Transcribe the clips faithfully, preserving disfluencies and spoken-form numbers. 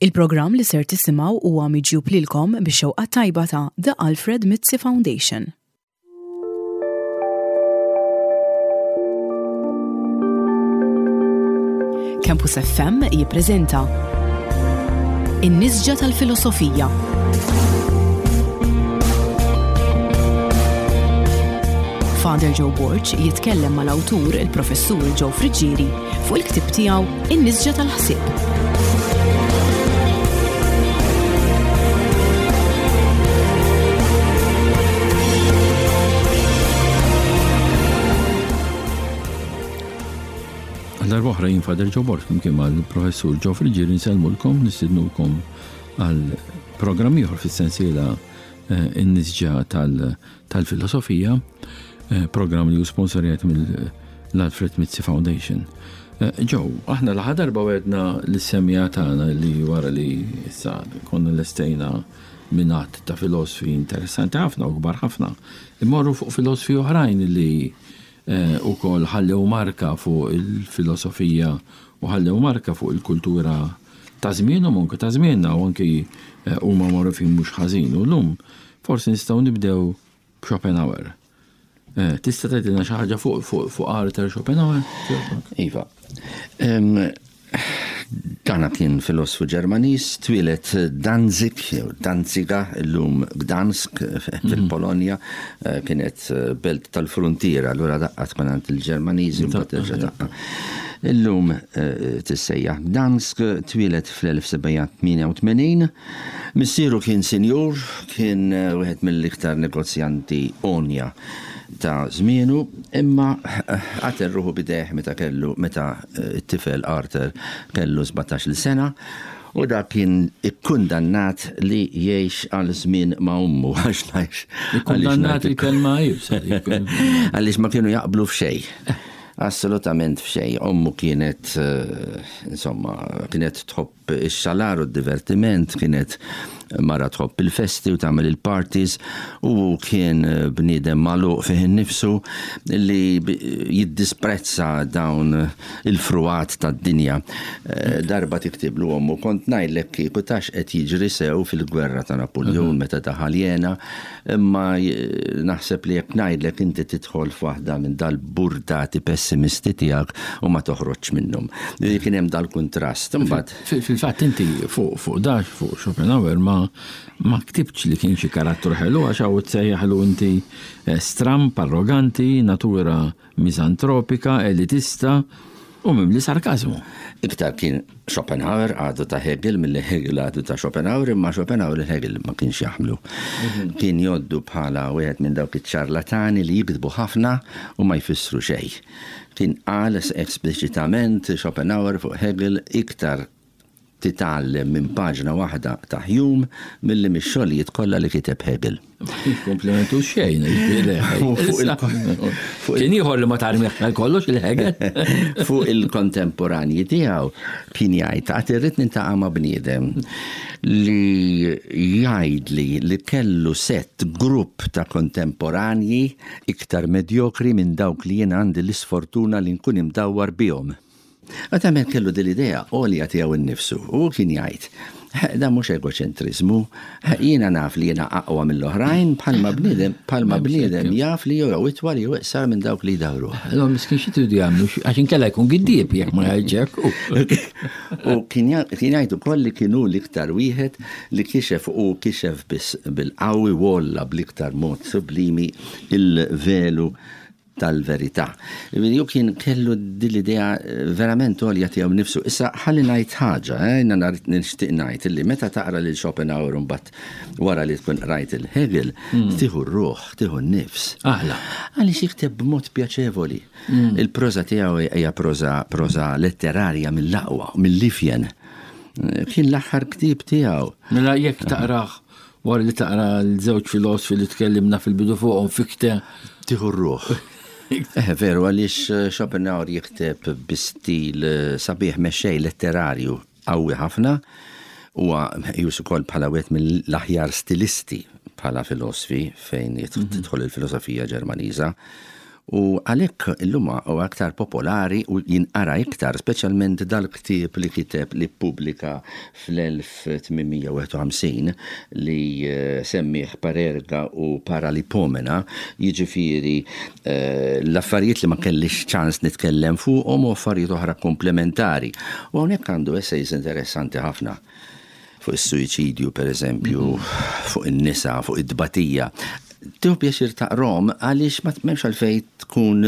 Il-programm li ser tisimgħu huwa miġjub lilkom bix-xewqa tajba ta' The Alfred Mizzi Foundation. Campus F M jippreżenta In-Nisġa tal-Filosofija. Father Joe Borg jitkellem mal-awtur il-Professur Joe Friggieri fuq il-ktieb tiegħu In-Nisġa tal-Ħsieb. Darba oħra jien Father Joe Borg flimkien mal-Professur Joe Friggieri nsellmulkom, nistidnukom għal programm ieħor fis-sensiela, eh, In-Nisġa tal-, tal-Filosofija, eh, programm li hu sponsorjat mill-Alfred Mizzi Foundation. Eh, Joe, aħna l-aħħar darba wedna lis-semmiegħa tagħna li wara li issa konna lestejna minn għadd ta' filosfi interessanti ħafna u kbar ħafna, immorru fuq filosfi oħrajn li, eh, ukoll ħallew marka fuq il-filosofija u ħallew marka fuq il-kultura ta' żmienhom u anke ta' żmienna u anki, eh, huma magħrufin mhux ħażin. U llum forsi nistgħu nibdew b'Schopenhauer. Eh, tista' tgħidilna xi ħaġa fuq, fuq, fuq Arthur Schopenhauer? Iva. Em, dana kien filosfu Ġermaniż, twieled Danzig, jew Danziga, illum Gdansk, fil-Polonja, eh, kienet belt tal-frontiera, allura daqqa tkun għand il-Ġermaniżi, mbagħad terġa' daqqa. Illum, eh, tissejjaħ Gdansk, twieled fl-elf sebgħa tmienja u tmenin. Missieru kien sinjur, kien, eh, wieħed mill-iktar negozjanti onja ta' żmienu, imma qatel ruħu bidejh meta kellu, meta, eh, it-tifel Arthur kellu sbatax-il sena, u dak kien ikkundannat li jgħix għal żmien ma' ommu, għax ngħix. Ikkundannat il-kelma jibsa, Għaliex ma kienu jaqblu f'xejn. Assolutament f'xejn. Ommu kienet, eh, insomma, kienet tħobb ix-xalar u d-divertiment, kienet mara tħobb il-festi u tagħmel il-parties, u kien bniedem magħluq fih innifsu li bi-, jiddisprezza dawn il-fruat tad-dinja. Eh, darba tiktiblu ommu, kont ngħidlek kieku tax qed jiġri sew fil-gwerra ta' Napoleon meta daħal jena, imma j-, naħseb li jekk ngħidlek inti tidħol f'waħda minn dal-burdati pessimisti tiegħek u ma toħroġx minnhom. Kien hemm dal-kuntrast. Imbagħad Fil-, fil-fatt inti fuq, fuq dax, fuq Schopenhauer ma, ma ktibtx li kien xi karattru ħelu, għax hawn tsejjaħlu inti, eh, stramp, arroganti, natura miżantropika, elitista u mimli sarkażmu. Iktar kien Schopenhauer għadu ta' Hegel milli Hegel għadu ta' Schopenhauer, imma Schopenhauer il Hegel ma kienx jaħmlu. Mhm. Kien joddu bħala wieħed minn dawk iċ-ċarlatani li jiktbu ħafna u ma jfissru xejn. Kien qal espliċitament Schopenhauer fuq Hegel iktar titgħallem minn paġna waħda ta' Hume milli mix-xogħlijiet kollha li kiteb Hegel. Ma kienx komplimentu xejn, jiġifieri. Fuq il- Issa, fuq il- kien ieħor li ma tarmiħ għal kollox il-Hegel. Fuq il-kontemporanji tiegħu kien jgħid, għad irrid nintaqa' ma' bniedem li jgħidli li kellu sett grupp ta' kontemporanji iktar medjokri minn dawk li jien għandi l-isfortuna li nkun imdawwar bihom. Għad għamel kellu din l-idea għolja tiegħu nnifsu u kien jgħid, da mhux egoċentriżmu, jiena naf li jiena aqwa mill-oħrajn bħalma bniedem, bħalma bniedem jaf li jew itwal jew iqsar minn dawk li jdawru. Allora miskin xi tridu jagħmlu, għax inkella jkun giddieb jekk ma jgħidx hekk. U kien ja-, kien jgħid ukoll li kienu l-iktar wieħed li kixef u kixef biss bil-qawwi wolla bl-iktar mod sublimi il-velu tal-verità. Ju kien kellu din l-idea verament għolja tiegħu nnifsu. Issa ħalli ngħid ħaġa, eh, jiena nar-, nixtieq ngħid illi meta taqra lil Schopenhauer mbagħad wara li tkun qrajt il-Hegel, Hmm. tieħu r-ruħ, tieħu n-nifs. Aħla. Għaliex jikteb b'mod pjaċevoli. Hmm. Il-proża tiegħu hija proża, proża letterarja mill-aqwa, mill-ifjen. Kien l-aħħar ktieb tiegħu. Mela jekk taqrah wara li taqra l-żewġ filosfi li tkellimna fil-bidu fuqhom fikte tieħu r-ruħ. Eh, veru, għaliex, eh, Schopenhauer jikteb bi stil, eh, sabiħ mexxej letterarju qawwi ħafna, huwa meqjus ukoll bħala wieħed mill-aħjar stilisti bħala filosfi fejn jit-, Mhm. tidħol il-filosofija Ġermaniża. U għalhekk illum huwa aktar popolari u jinqara iktar, speċjalment dal-ktieb li kiteb li ppubblika fl-elf tmien mija u wieħed u ħamsin li semmih Parerga u Paralipomena, jiġifieri l-affarijiet li ma kellix ċans nitkellem fuqhom u affarijiet oħra komplementari. U hawnhekk għandu essays interessanti ħafna fuq is-suwiċidju, per eżempju, fuq in-nisa, fuq id-dbatija. Tieħu pjaċir taqrom għaliex ma m'hemmx għalfejn tkun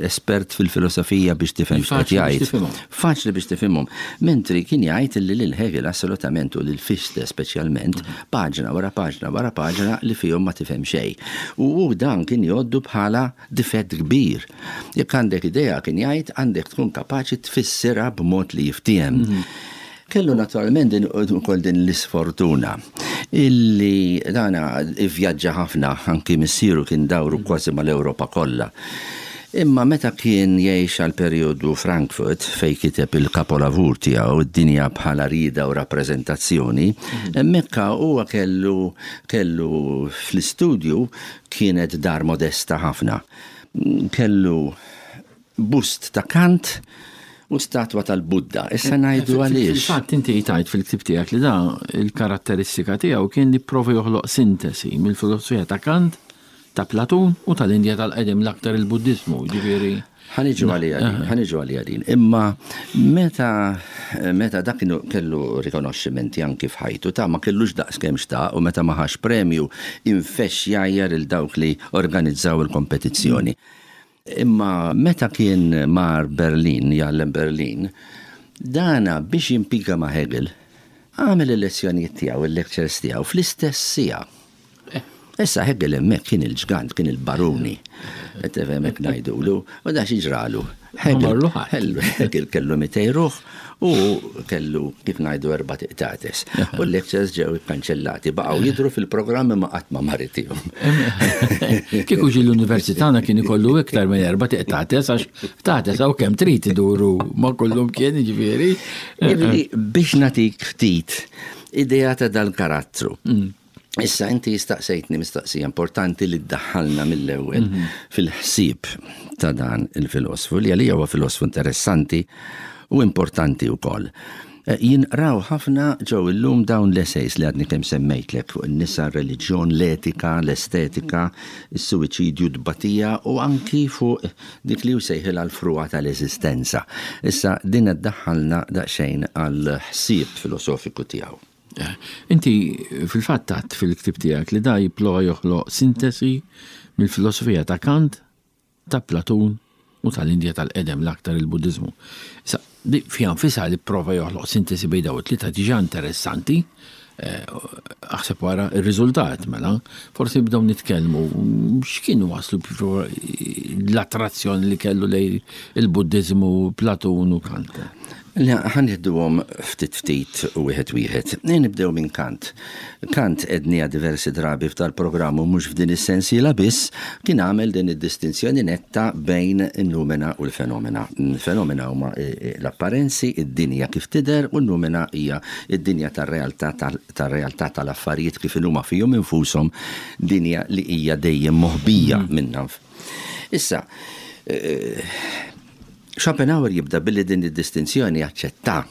espert fil-filosofija biex tifhem x'qed Faċli biex jgħid. tifhimhom. Faċli biex tifhimhom. Mentri kien jgħid li lil Hegel assolutament u lil Fichte speċjalment, paġna wara paġna wara paġna li fihom ma tifhem xejn. U hu dan kien jgħoddu bħala difett kbir. Jekk għandek idea kien jgħid għandek tkun kapaċi tfissirha b'mod li jiftiehem. Kellu naturalment din ukoll din l-isfortuna illi dana ivvjaġġa ħafna, anki missieru kien dawru kważi mal-Ewropa kollha. Imma meta kien jgħix għal perjodu Frankfurt fej kiteb il-kapolavur tiegħu id-dinja bħala rida u rappreżentazzjoni, hemmhekk huwa kellu, kellu fl-istudju kienet dar modesta ħafna. Kellu bust ta' Kant u statwa tal-Budda. Issa ngħidu għaliex. Fil-fatt inti tajt fil-ktib tiegħek li da il-karatteristika tiegħu kien li prova joħloq sintesi mill-filosofija ta' Kant, ta' Platun u tal-Indja tal-qedem l-aktar il-Buddizmu, ġifieri. Ħa niġu għalija din, ħa niġu għalija din. Imma meta, meta dak kienu kellu rikonoxximenti anki f'ħajtu ta' ma kellux daqs kemm xtaq u meta ma ħax premju infexx jgħajjar il dawk li organizzaw il-kompetizzjoni. Imma meta kien mar Berlin, jgħallem Berlin, dana biex jimpika ma' Hegel, għamel il-lezzjonijiet tiegħu, il-lectures tiegħu fl-istess siegħa. Issa Hegel hemmhekk kien il-ġgant, kien il-baruni. Qed tifhem hekk ngħidulu, u da xi ġralu. Hegel Marlu ħadd. Hegel, Hegel kellu mitej ruħ u kellu kif ngħidu erba' tiqtates. U l-lectures ġew ikkanċellati, baqgħu jidhru fil-programmi ma qatt ma maritihom. Kieku ġi l-università kien ikollu iktar minn erba' tiqtates għax tates hawn kemm trid iduru ma kollhom kien jiġifieri. Jiġifieri biex nagħtik ftit idea ta' dal-karattru. Issa inti jistaqsejtni mistaqsija importanti li ddaħħalna mill-ewwel Mhm. fil-ħsieb ta' dan il-filosfu li għalija huwa filosfu interessanti u importanti wkoll. Eh, jinqraw ħafna ġew illum dawn l-essays li għadni kemm semmejtlek fuq in-nisa, r-reliġjon, l-etika, l-estetika, is-suwiċidju, d-batija u anki fuq dik li jsejħilha l-frugħa tal-eżistenza. Issa din ddaħħalna daqsxejn għall-ħsieb filosofiku tiegħu. Inti fil-fatt għadt fil-ktib tiegħek li da jipprova joħloq sintesi mill-filosofija ta' Kant, ta' Platun u tal-Indja tal-qedem l-aktar il-Buddizmu. Issa, di fiha nfisha li prova joħloq sintesi bejn dawn it-tlieta diġà interessanti, eh, aħseb wara ir-riżultat mela, forsi nibdew nitkellmu x'kienu waslu l-attrazzjoni li kellu lejn il-Buddizmu, Platun u Kant. Le, ħa nieħduhom ftit ftit u wieħed wieħed. Nibdew minn Kant. Kant għednieha diversi drabi f'dal-programm u mhux f'din is-sensiela biss kien għamel din id-distinzjoni netta bejn in-numena u l-fenomena. Il-fenomena huma, eh, eh, l-apparenzi, id-dinja kif tidher, u n-numena hija id-dinja tar-realtà tal-, tar-realtà tal-affarijiet kif huma fihom infushom, dinja li hija dejjem moħbija Mm. minnha. Issa, eh, Schopenhauer jibda billi din id-distinzjoni aċċetta.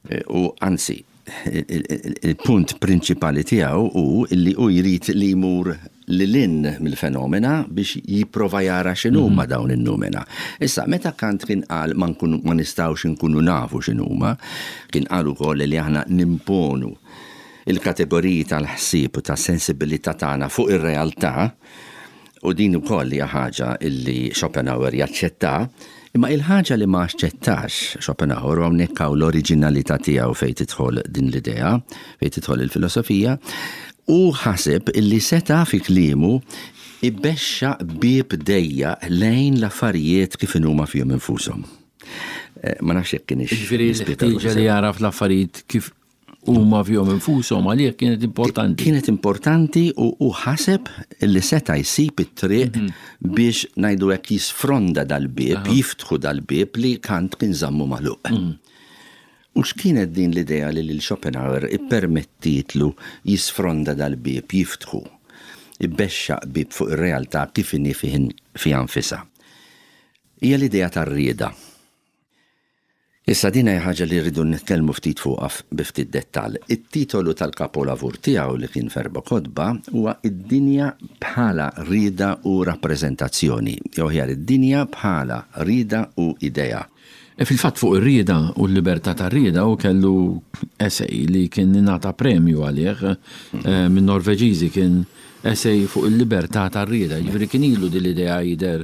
Eh, u anzi, il-, il-, il-punt prinċipali tiegħu hu li hu jrid li jmur lil hinn mill-fenomena biex jipprova jara x'inhuma Mhm. dawn in-numena. Issa, meta Kant kien qal ma nkunu, ma nistgħux inkunu nafu x'inhuma, kien qal ukoll li aħna nimponu il-kategoriji tal-ħsieb u tas-sensibilità tagħna fuq ir-realtà, u din ukoll hija ħaġa illi Schopenhauer jaċċetta, imma il-ħaġa li ma aċċettax Schopenhauer, u hawnhekk hawn l-oriġinalità tiegħu fejn tidħol din l-idea, fejn tidħol il-filosofija, u ħaseb illi seta' fi kliemu ibexxa bieb dejja lejn l-affarijiet kif inhuma fihom infushom. Eh, ma nafx jekk kienx Jiġifieri nispjega l-ħtieġa li ruħi. jaraf l-affarijiet kif huma fihom infushom għalih kienet importanti. Kienet importanti u, u ħaseb li seta' jsib it-triq Mhm. biex ngħidu hekk jisfronda dal-bieb, jiftħu dal-bieb li Kant kien żammu magħluq. Mhm. U x'kienet din l-idea li lil Schopenhauer ippermettietlu jisfronda dal-bieb, jiftħu? Ibexxaq bib fuq ir-realtà kif inhi fiha nfisha. Hija l-idea tar-rieda. Issa din hija ħaġa li rridu nitkellmu ftit fuqha bi ftit dettall. It-titolu tal-kapolavur tiegħu li kien f'erba' kotba huwa Id-dinja bħala rieda u rappreżentazzjoni, jew aħjar id-dinja bħala rieda u idea. E fil-fatt fuq ir-rieda u l-libertà tar-rieda u kellu essay li kien ingħata premju għalih eh, minn Norveġiżi, kien essay fuq il-libertà tar-rieda. Jiġifieri kien ilu din l-idea jidher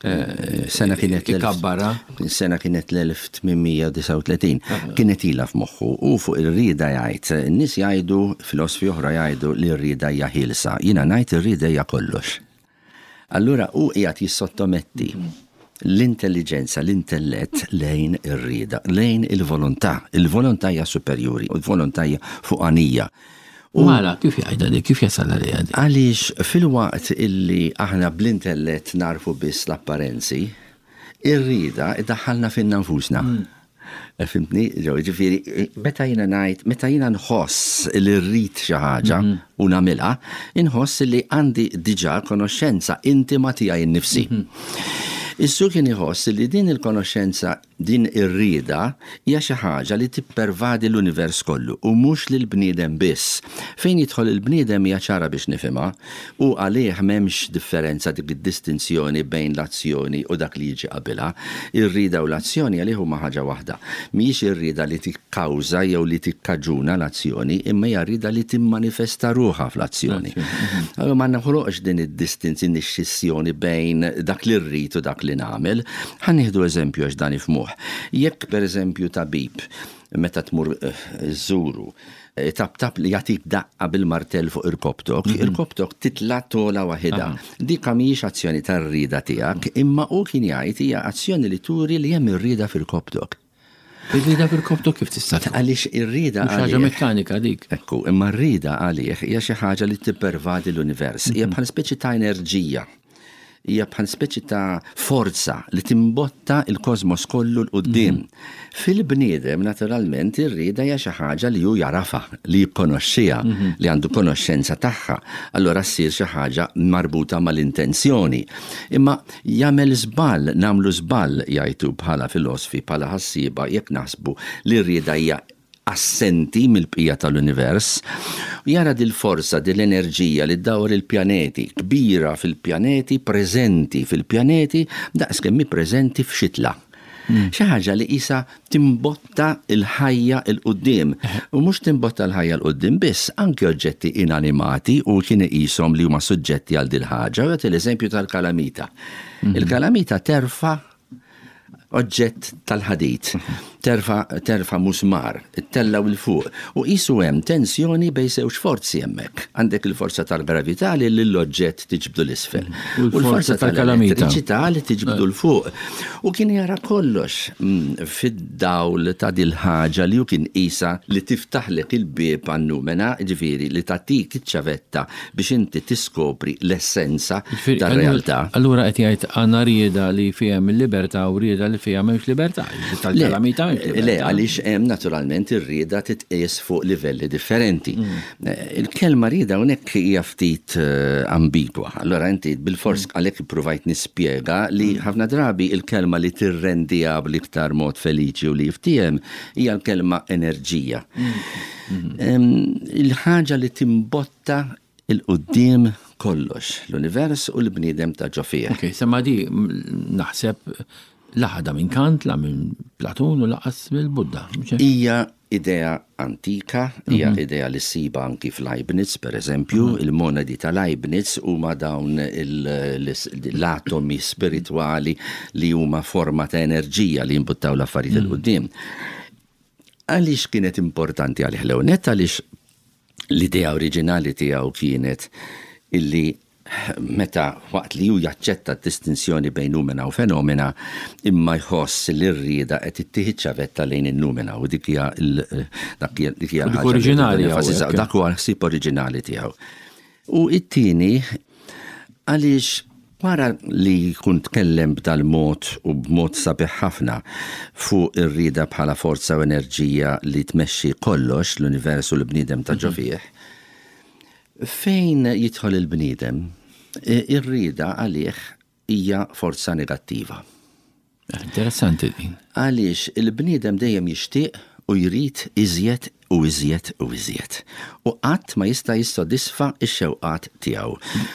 eh, Sena kienet l- ikabbara. Sena kienet l-elf tmien mija disgħa u tletin. Kienet ilha f'moħħu u fuq ir-rieda jgħid, n-nies jgħidu, filosofi oħra jgħidu li r-rieda hija ħielsa. Jiena ngħid ir-rieda hija kollox. Allura u qiegħed jissottometti l-intelligenza, l-intellett lejn ir-rieda, lejn il-volontà. Il-volontà hija superjuri, u l-volontà hija fuqanija. U għala, kif jgħidha di, kif jasal għalija di? Għaliex fil-waqt illi aħna bl-intellett narfu biss l-apparenzi, ir-rieda iddaħħalna finna nfusna. Eh, Fhimtni? Ġew, ġifieri, meta jiena ngħid, meta jiena nħoss li rrid xi ħaġa u nagħmilha, inħoss li għandi diġà konoxxenza intima tiegħi nnifsi. Issu kien iħoss li din il-konoxxenza, din ir-rieda, hija xi ħaġa li tippervadi l-univers kollu u mhux lil bniedem biss. Fejn jidħol il-bniedem hija ċara biex nifhimha u għalih m'hemmx differenza, dik id-distinzjoni bejn l-azzjoni u dak li jiġi qabilha. Ir-rieda u l-azzjoni għalih huma ħaġa waħda. Mhijiex ir-rieda li tikkawża jew li tikkaġuna l-azzjoni, imma hija rieda li timmanifesta ruħha fl-azzjoni. Allora ma naħloqx din id-distinzjoni, xissjoni bejn dak li rrid u dak li nagħmel. Ħa nieħdu eżempju għax dan nifhmuh. Jekk per eżempju tabib, meta tmur eh, żuru, eh, tap tap li jagħtik daqqa bil-martell fuq irkopptok, irkopptok titla' tola waħedha. Dik mhijiex azzjoni tar-rieda tiegħek, imma hu kien jgħid hija azzjoni li turi li hemm ir-rieda f'irkopptok. Ir-rieda f'irkopptok kif tista' tkun? Għaliex ir-rieda Mhux ħaġa għalih- mekkanika dik. Ekku, imma r-rieda għalih hija xi ħaġa li tippervadi l-univers. Hija bħal speċi ta' enerġija. Hija bħal speċi ta' forza li timbotta il-kosmos kollu 'l quddiem. Fil-bniedem, naturalment, ir-rieda hija xi ħaġa li hu jarafa, li jikkonoxxiha, li għandu konoxxenza tagħha. Allora ssir xi ħaġa marbuta mal-intenzjoni. Imma jagħmel żball, nagħmlu żball jgħidu bħala filosofi, bħala ħassieba, jekk naħsbu li r-rieda hija assenti mill-bqija tal-univers, jara dil-forza, dil-enerġija li ddawar il-pjaneti, kbira fil-pjaneti, preżenti fil-pjaneti, daqs kemm hi preżenti f'xitla. Xi ħaġa li isa timbotta il-ħajja 'l quddiem. U mhux timbotta l-ħajja 'l quddiem biss, anke oġġetti inanimati u kien iqishom li huma suġġetti għal dil-ħaġa. U jagħti l-eżempju tal-kalamita. Il-kalamita terfa' oġġett tal-ħadid, terfa, terfa musmar, tellgħu 'l fuq u qisu hemm tensjoni bejn żewġ forzi hemmhekk. Għandek il-forza tal-gravità li l-oġġett tiġbdu 'l isfel. U l-forza tal-kalamita. Tal-elettriċità li tiġbdu 'l fuq. U kien jara kollox mm, fid-dawl ta' dil-ħaġa li hu kien qisha li tiftaħlek il-bieb għan-numena, ġifieri li tagħtik iċ-ċavetta biex inti tiskopri l-essenza Ġifieri, tar-realtà. Allura qed jgħid għandna rieda li fiha il-libertà u rieda li fiha m'hemmx libertà. Tal-kalamita m'hemmx Le, libertà. għaliex hemm naturalment ir-rieda titqies fuq livelli differenti. Eh, Il-kelma rieda hawnhekk hija ftit eh, ambigwa. Allora inti bil-fors għalhekk ippruvajt nispjega li ħafna drabi il-kelma li tirrendiha bl-iktar mod feliċi u li jiftiehem hija l-kelma enerġija. Em, Il-ħaġa li timbotta 'l quddiem kollox, l-univers u l-bniedem ta' ġo fih. Ok, semma di m- naħseb la ħadha minn Kant, la minn Platun u lanqas mill-Budda. Mhux hekk? Hija idea antika, hija idea li ssiba anki f'Leibniz, per eżempju, il-monadi ta' Leibniz huma dawn il- l-atomi spirituali li huma forma ta' enerġija li jimbuttaw l-affarijiet 'il quddiem. Għaliex kienet importanti għalih l-ewwelnett? Għaliex l-idea oriġinali tiegħu kienet illi meta waqt li ju jaċċetta d-distinzjoni bejn numena u fenomena, imma jħoss li r-rieda qed ittieħ ċavetta lejn in-numena u dik hija l- dak hija dik hija U dik l-ħaġa li oriġinali rridu nenfasizzaw. hawnhekk. Dak huwa l-ħsieb oriġinali tiegħu. U it-tieni għaliex wara li jkun tkellem b'dal-mod u b'mod sabiħ ħafna fuq ir-rieda bħala forza u enerġija li tmexxi kollox, l-univers u l-bniedem ta' ġo fih, Fejn jidħol il-bniedem, ir-rieda għalih hija forza negattiva. Interessanti din. Għaliex il-bniedem dejjem jixtieq u jrid iżjed u iżjed u iżjed. U qatt ma jista' jissodisfa x-xewqat tiegħu.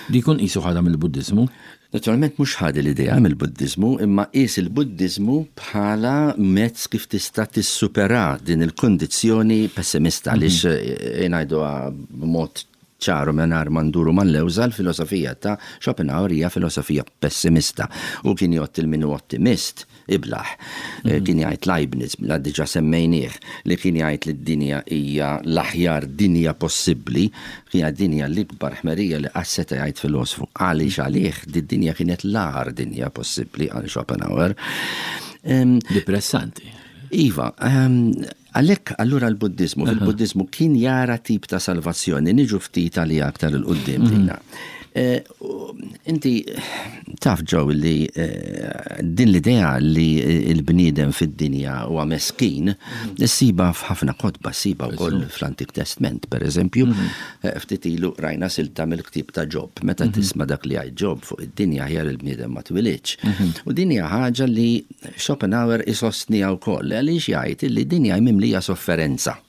Di jkun qisu ħadha mill-Buddiżmu? Naturalment mhux ħad l-idea mill-Buddiżmu, imma qis il-Buddiżmu bħala mezz kif tista' tissupera din il-kundizzjoni pessimista, għaliex ngħiduha b'mod ċaru mingħajr ma nduru mal-lewża, l-filosofija ta' Schopenhauer hija filosofija pessimista u kien jgħodd il min hu ottimist iblaħ. Kien jgħid Leibniz, la diġà semmejnieh, li kien jgħid li d-dinja hija l-aħjar dinja possibbli, hija dinja l-ikbar ħmerija li qatt seta' jgħid filosofu. Għaliex għalih di-dinja kienet l-agħar dinja possibbli għal Schopenhauer. Depressanti. Iva, għalhekk allura l-Buddiżmu, fil-Buddiżmu kien jara tip ta' salvazzjoni, niġu ftit għalija aktar 'il quddiem dina. Inti taf Joe li din l-idea li l-bniedem fid-dinja huwa meskin, ssiba f'ħafna kotba, ssiba wkoll fl-Antik Testament, per eżempju, ftit ilu rajna silta mill-ktieb ta' Ġob, meta tisma' dak li jgħid Ġob fuq id-dinja aħjar il-bniedem ma twilidx. U din hija ħaġa li Schopenhauer isostniha wkoll, għaliex jgħid li d-dinja mimlija sofferenza.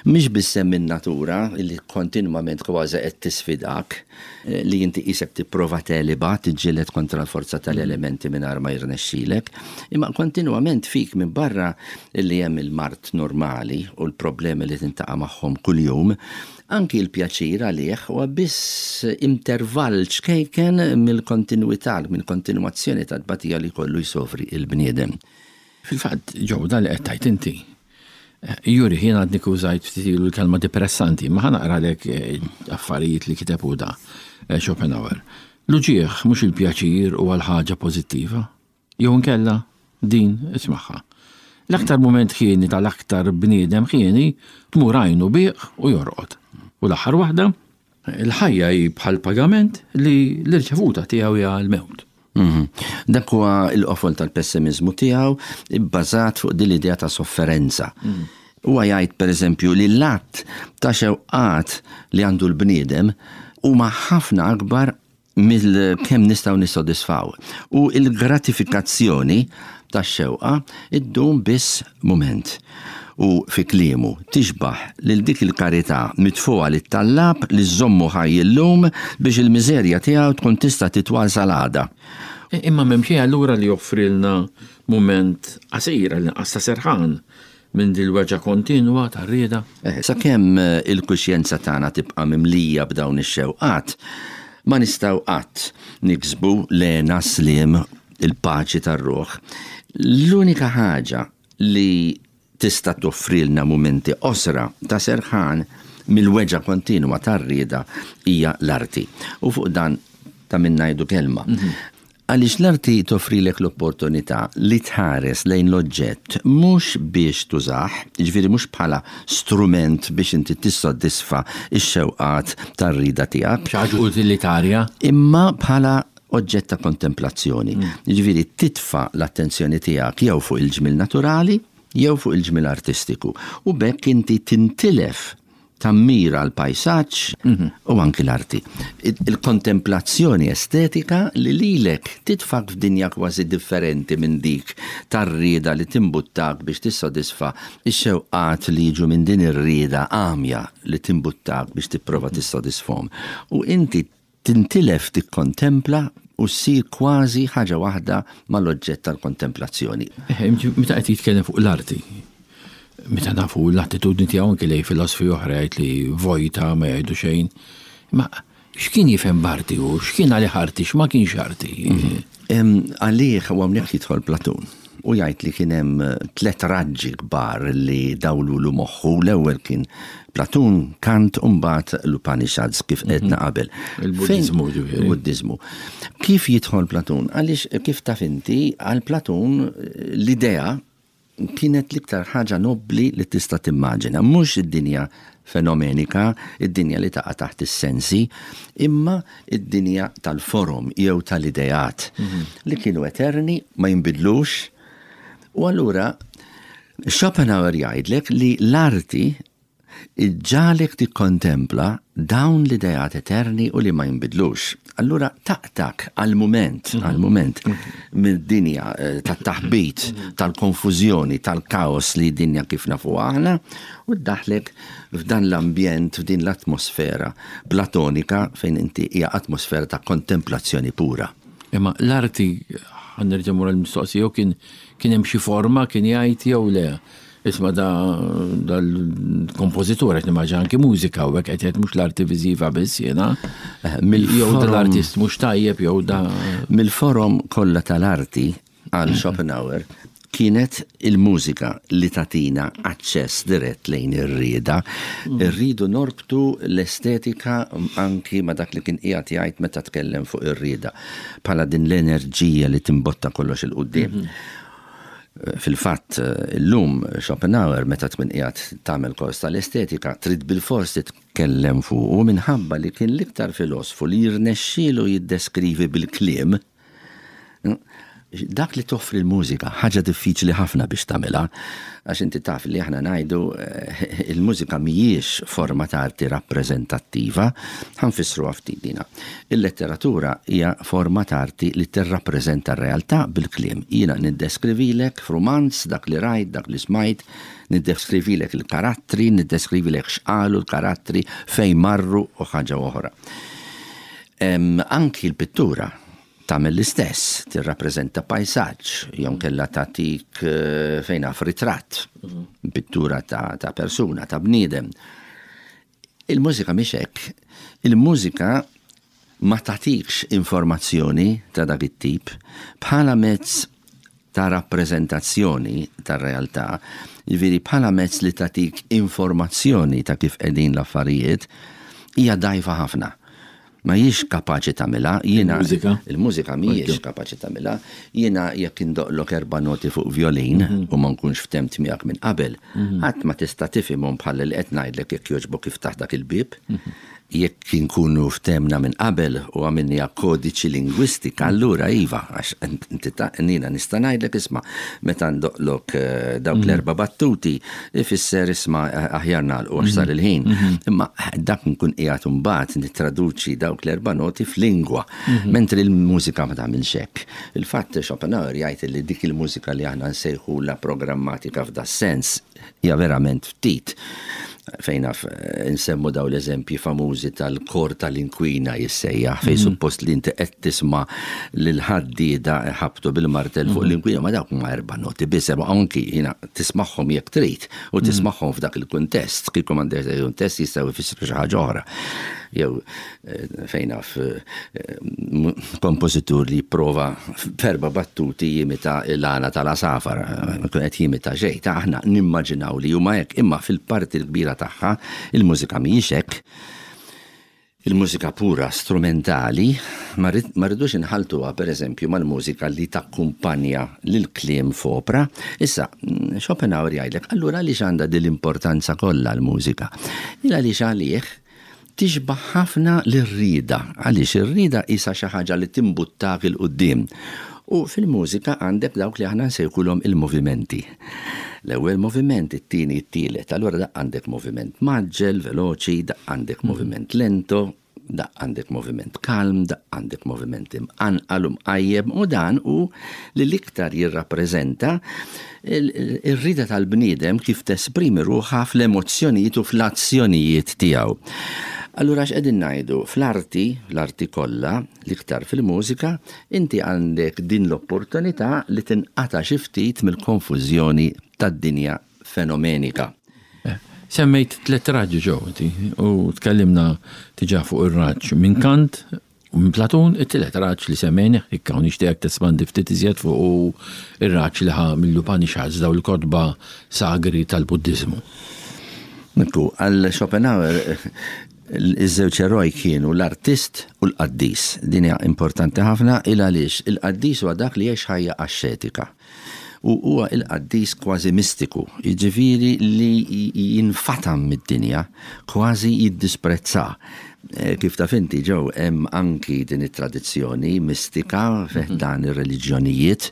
Mhix biss hemm in-natura li kontinwament kważi qed tisfidak, li inti qisek tipprova teliba, tiġġieled kontra l-forza tal-elementi mingħajr ma jirnexxilek, imma kontinwament fik minn barra li hemm il-mard normali u l-problemi li tintaqa' magħhom kuljum, anki l-pjaċir għalih huwa biss intervall ċkejken mill-kontinwità, mill-kontinwazzjoni tat-tbatija li kollu jsofri il-bniedem. Fil-fatt, Joe, dan li qed tgħid inti, Juri, jien għadni użajt ftit ilu l-kelma depressanti, ma ħa naqralek affarijiet li kiteb hu da, Schopenhauer. L-uġieħ mhux il-pjaċir u għal-ħaġa pożittiva. Jew inkella din ismagħha. L-aktar mument ħieni tal-aktar bniedem ħieni tmur għajnu bieq u jorqod. U l-aħħar waħda, il-ħajja hi bħal pagament li l-irċevuta tiegħu hija l-mewt. Dak huwa l-qofol tal-pessimizmu tiegħu bbażat fuq din l-idea ta' sofferenza. Huwa jgħid pereżempju li l-att ta' xewqat li għandu l-bniedem huma ħafna akbar mill kemm nistgħu nissodisfaw. U l-gratifikazzjoni tax-xewqa iddum biss mument. U fi kliemu tixbaħ lil dik il-karità mitfuqa lit-tallab li żommu ħaj illum biex il-miżerja tiegħu tkun tista' titwal sal-għada. Imma m'hemm xejn allura li joffrilna mument qasir għal inqas ta' serħan minn dil-weġgħa kontinwa tar-rieda. Sakemm il-kuxjenza tagħna tibqa' mimlija b'dawn ix-xewqat, ma nistgħu qatt niksbu lena sliem il-paċi tar-ruħ. L-unika ħaġa li tista' toffrilna mumenti qosra ta' serħan mill-weġgħa kontinwa tar-rieda hija l-arti. U fuq dan ta' min ngħidu kelma. Għaliex l-arti toffrilek l-opportunità li tħares lejn l-oġġett mhux biex tużah, jiġifieri mhux bħala strument biex inti tissodisfa x-xewqat tar-rieda tiegħek. Xi ħaġa utilitarja. Imma bħala oġġett ta' kontemplazzjoni. Jiġifieri titfa' l-attenzjoni tiegħek jew fuq il-ġmiel naturali jew fuq il-ġmiel artistiku. U b'hekk inti tintilef tammira l-pajsaġġ u anki l-arti. Il-kontemplazzjoni estetika li lilek titfak f'dinja kważi differenti minn dik tar-rieda li timbuttak biex tissodisfa x-xewqat li jiġu minn din ir-rieda għamja li timbuttak biex tipprova tissodisfhom. U inti tintilef tikkontempla u ssir kważi ħaġa waħda mal-oġġett tal-kontemplazzjoni. Meta qed jitkellem fuq l-arti, meta nafu l-attitudni tiegħu anke lejn filosofi oħra jgħid li vojta ma jgħidu xejn, ma x'kien jifhem b'arti u x'kien għalih arti, x'ma kienx arti? Għalih u hawnhekk jidħol Platun u jgħid li kien hemm tliet raġġi kbar li dawlulu moħħu. L-ewwel kien Platun, Kant u mbagħad l-Upanishads kif qedna qabel. Il-Buddiżmu ġifieri. Il-Buddiżmu. Kif jidħol Platun? Għaliex kif taf inti għal Platun l-idea kienet l-iktar ħaġa nobbli li tista' timmaġina, mhux id-dinja fenomenika, id-dinja li taqa' taħt is-sensi, imma id-dinja tal-forom jew tal-ideat li kienu eterni, ma jinbidlux. U allura Schopenhauer jgħidlek li l-arti Iġġagħlek tikkontempla dawn l-ideat eterni u li ma jinbidlux. Allura taqtak għal-mument, għal-mument mid-dinja eh, tat-taħbit, tal-konfużjoni, tal-kaos li dinja kif nafu aħna, u ddaħlek f'dan l-ambjent, f'din l-atmosfera platonika fejn inti hija atmosfera ta' kontemplazzjoni pura. Imma l-arti, ħa nerġa' mmur l-mistoqsija, jew kien kien hemm xi forma kien jgħid jew le. Isma' da dal-kompożitur qed nimmaġina anki mużika u hekk qed jgħid mhux l-arti viżiva biss jiena. Eh, Jew mill-forom- dal-artist mhux tajjeb jew da. Mill-forom kollha tal-arti għal Schopenhauer kienet il-mużika li tatina aċċess dirett lejn ir-rieda. Irridu norbtu l-estetika anki ma dak li kien qiegħed jgħid meta tkellem fuq ir-rieda bħala din l-enerġija li timbotta kollox 'il quddiem. Fil-fatt, illum Schopenhauer meta tkun qiegħed tagħmel kors tal-estetika trid bilfors titkellem fuq u minħabba li kien l-iktar filosfu li jirnexxielu jiddeskrivi bil-kliem dak li toffri l-mużika, ħaġa diffiċli ħafna biex tagħmilha, għax inti taf li aħna ngħidu eh, il-mużika mhijiex forma ta' arti rappreżentattiva, ħa nfissru ftit dina. Il-letteratura hija forma ta' arti li tirrappreżenta r-realtà bil-kliem. Jiena niddeskrivilek f'rumanz dak li rajt, dak li smajt, niddeskrivilek il-karattri, niddeskrivilek x'qalu l-karattri, fejn marru u ħaġa oħra. Em, Anki l-pittura tagħmel l-istess, tirrappreżenta pajsaġġ, jew kella tagħtik eh, fejn naf ritratt, pittura ta', ta' persuna, ta' bniedem. Il-mużika mhix hekk. Il-mużika ma tagħtikx informazzjoni ta' dak it-tip bħala mezz ta' rappreżentazzjoni tar-realtà, jiġifieri bħala mezz li tagħtik informazzjoni ta' kif qegħdin l-affarijiet, hija dgħajfa ħafna. Ma hijiex kapaċi tagħmilha, jiena Il-mużika? Il-mużika mhijiex kapaċi tagħmilha. Jiena jekk indoqlok erba' noti fuq violin u ma nkunx ftemt miegħek minn qabel, ħadd ma tista' tifhimhom bħal li qed ngħidlek jekk jogħġbok iftaħ dak il-bib. Jekk inkunu ftemna minn qabel u għamilniha kodiċi lingwistika, allura iva, għax inti ta' jiena nista' ngħidlek isma' meta ndoqlok eh, dawk l-erba' battuti, ifisser isma' eh, aħjar nagħlqu għax sar il-ħin. Imma dak nkun qiegħed imbagħad nittraduċi dawk l-erba' noti f'lingwa, mentri l-mużika ma tagħmilx hekk. Il-fatt Schopenhauer jgħid li dik il-mużika li aħna nsejħu la programmatika f'da sens hija verament ftit fejn naf eh, nsemmu daw l-eżempji famużi tal-kor tal-inkwina jissejjaħ fej suppost li inti qed tisma' lil ħaddieda ħabtu bil-martell fuq l-inkwina ma dawk ma erba' noti biss imma anki jiena tismagħhom jekk trid u tismagħhom f'dak il-kuntest kieku m'għandek il-kuntest jistgħu jfissru xi ħaġa oħra. Jew eh, fejn naf eh, m- kompożitur li jipprova f'erba' battuti jimita l-għana tal-għasafar, eh, kun qed jimita xejn, ta' aħna nimmaġinaw li huma hekk, imma fil-parti l-kbira tagħha il-mużika mhijiex hekk. Il-mużika pura strumentali ma rrid- ma rridux inħaltuha per eżempju mal-mużika li takkumpanja lil kliem f'opra. Issa, mm, Schopenhauer jgħidlek, allura għaliex għandha din l-importanza kollha l-mużika? Il għaliex għalih tixbaħ ħafna lir-rieda, għaliex ir-rieda isa xi ħaġa li timbuttak 'il quddiem. U fil-mużika għandek dawk li aħna nsejħulhom il-movimenti. L-ewwel moviment, it-tieni, it-tielet. Allura dak għandek moviment mgħaġġel, veloċi, dak għandek moviment lento, dak għandek moviment kalm, dak għandek moviment imqanqal u mqajjem, u dan u li l-iktar jirrappreżenta ir-rieda tal-bniedem kif tesprimi ruħha fl-emozzjonijiet u fl-azzjonijiet tiegħu. Allura x'qegħdin ngħidu fl-arti, l-arti kollha, l-iktar fil-mużika, inti għandek din l-opportunità li tinqata' xi ftit mill-konfużjoni tad-dinja fenomenika. Semmejt tliet raġġi ġew inti u tkellimna diġà fuq ir-raġġ minn Kant u minn Platun, it-tielet raġġ li semmejna, ikka u nixtieq tespandi ftit iżjed fuq u ir-raġġ li ħa mill-Upanishads daw il-kotba sagri tal-Buddiżmu. Nikku, għal Schopenhauer iż-żewġ eroj kienu l-artist u l-qaddis. Din hija importanti ħafna il għaliex il-qaddis huwa dak li jgħix ħajja axxetika. U huwa il-qaddis kważi mistiku, jiġifieri li jinfatam mid-dinja, kważi jiddisprezza. Eh, kif taf inti, Joe, hemm anki din it-tradizzjoni mistika fi mhm. dan ir-reliġjonijiet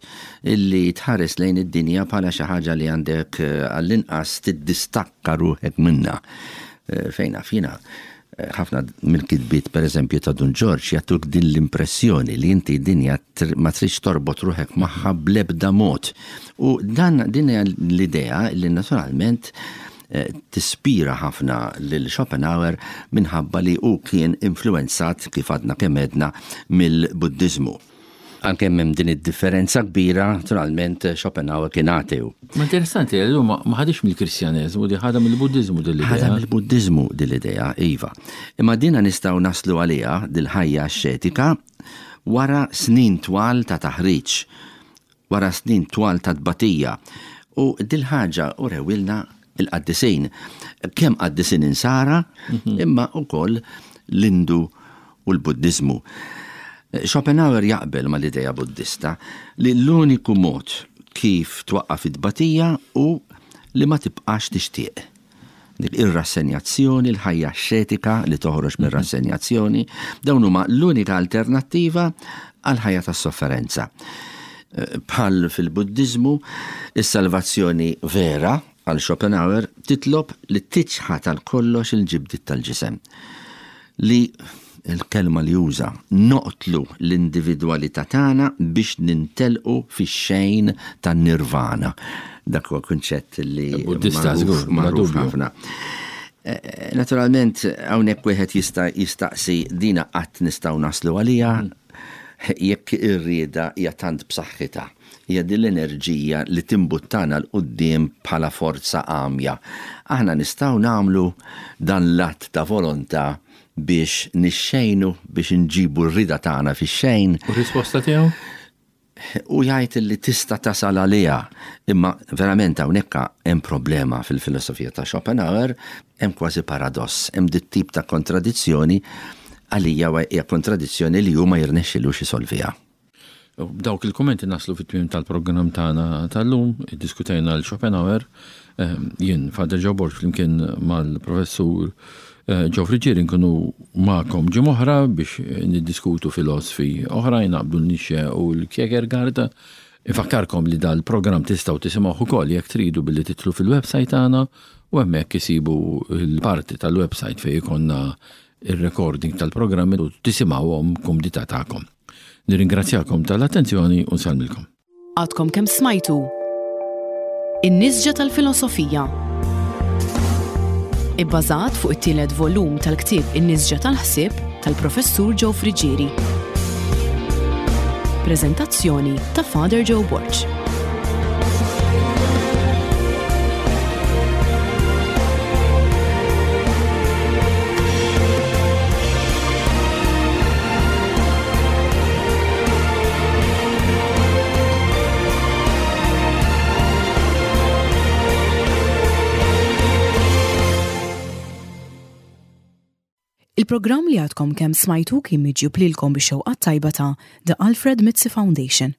illi tħares lejn id-dinja bħala xi ħaġa li għandek eh, għall-inqas tiddistakka ruħek minna. Eh, fejn fina ħafna mill-kitbiet, per eżempju, ta' Dun Ġorġ jagħtuk din l-impressjoni li inti dinja ma tridx torbot ruħek magħha bl-ebda mod. U dan din l-idea li naturalment eh, tispira ħafna lil Schopenhauer minħabba li hu kien influenzat, kif għadna kemm għedna, mill-Buddizmu. Anke hemm din id-differenza kbira, naturalment Schopenhauer kien ateu. Ma interessanti, ma ħadix mill-Kristjaneżmu, di ħadha mill-Buddiżmu din l-idea. Ħadha mill-Buddiżmu din l-idea, iva. Imma dina nistgħu naslu għaliha dil-ħajja axxetika wara snin twal ta' taħriġ, wara snin twal ta' tbatija. U dil-ħaġa urewilna il-qaddisin. Kemm qaddisin insara, mhm. imma wkoll l-Indu u l-Buddiżmu. Schopenhauer jaqbel mal-idea Buddista li l-uniku mod kif twaqqaf it-tbatija u li ma tibqax tixtieq. Dik ir-rassenjazzjoni, l-ħajja xetika li toħroġ mir rassenjazzjoni, dawn huma l-unika alternattiva għal ħajja tas-sofferenza. Bħal fil-Buddiżmu, is-salvazzjoni vera għal Schopenhauer titlob li tiċħad għal kollox il-ġibdiet tal-ġisem. Li il-kelma li juża, noqtlu l-individwalità tagħna biex nintelqu fix-xejn tan-nirvana. Dak huwa kunċett li Buddista żgur, magħruf ħafna. Eh, eh, naturalment, hawnhekk wieħed jista' jistaqsi dina qatt nistgħu naslu għalija mm. jekk ir-rieda hija tant b'saħħitha. Hija din l-enerġija li timbuttana 'l quddiem bħala forza għamja. Aħna nistgħu nagħmlu dan l-att ta' volontà biex nixxejnu, biex nġibu r-rida tagħna fix-xejn. U risposta tiegħu? U jgħid li tista' tasal għaliha, imma verament hawnhekk hemm problema fil-filosofija ta' Schopenhauer, hemm kważi paradoss, hemm dit tip ta' kontradizzjoni, għalija hija kontradizzjoni li hu ma jirnexxilux isolviha. B'dawk il-kummenti naslu fit-tmiem tal-programm tagħna tal-lum, iddiskutejna l Schopenhauer, ehm, jien Father Joe Borg flimkien mal-professur eh, Joe Friggieri nkunu magħkom ġimgħa oħra biex niddiskutu filosfi oħrajn naqbdu Nietzsche u l-Kierkegaard. Infakkarkom li dal-programm tistgħu tisimgħuh ukoll jekk tridu billi titlu fil-website tagħna u hemmhekk isibu l-parti tal-website fejn ikonna il-recording tal-programmi u tisimgħuhom kumdità tagħkom. Nirringrazzjakom tal-attenzjoni u nsellmilkom. Għadkom kemm smajtu In-Nisġa tal-Filosofija. Ibbażat fuq it-tielet volum tal-ktieb In-Nisġa tal-Ħsieb tal-Professur Joe Friggieri. Preżentazzjoni ta' Father Joe Borg. Il-programm li għadkom kemm smajtu kien miġjub lilkom bix-xewqa tajba ta' The Alfred Mizzi Foundation.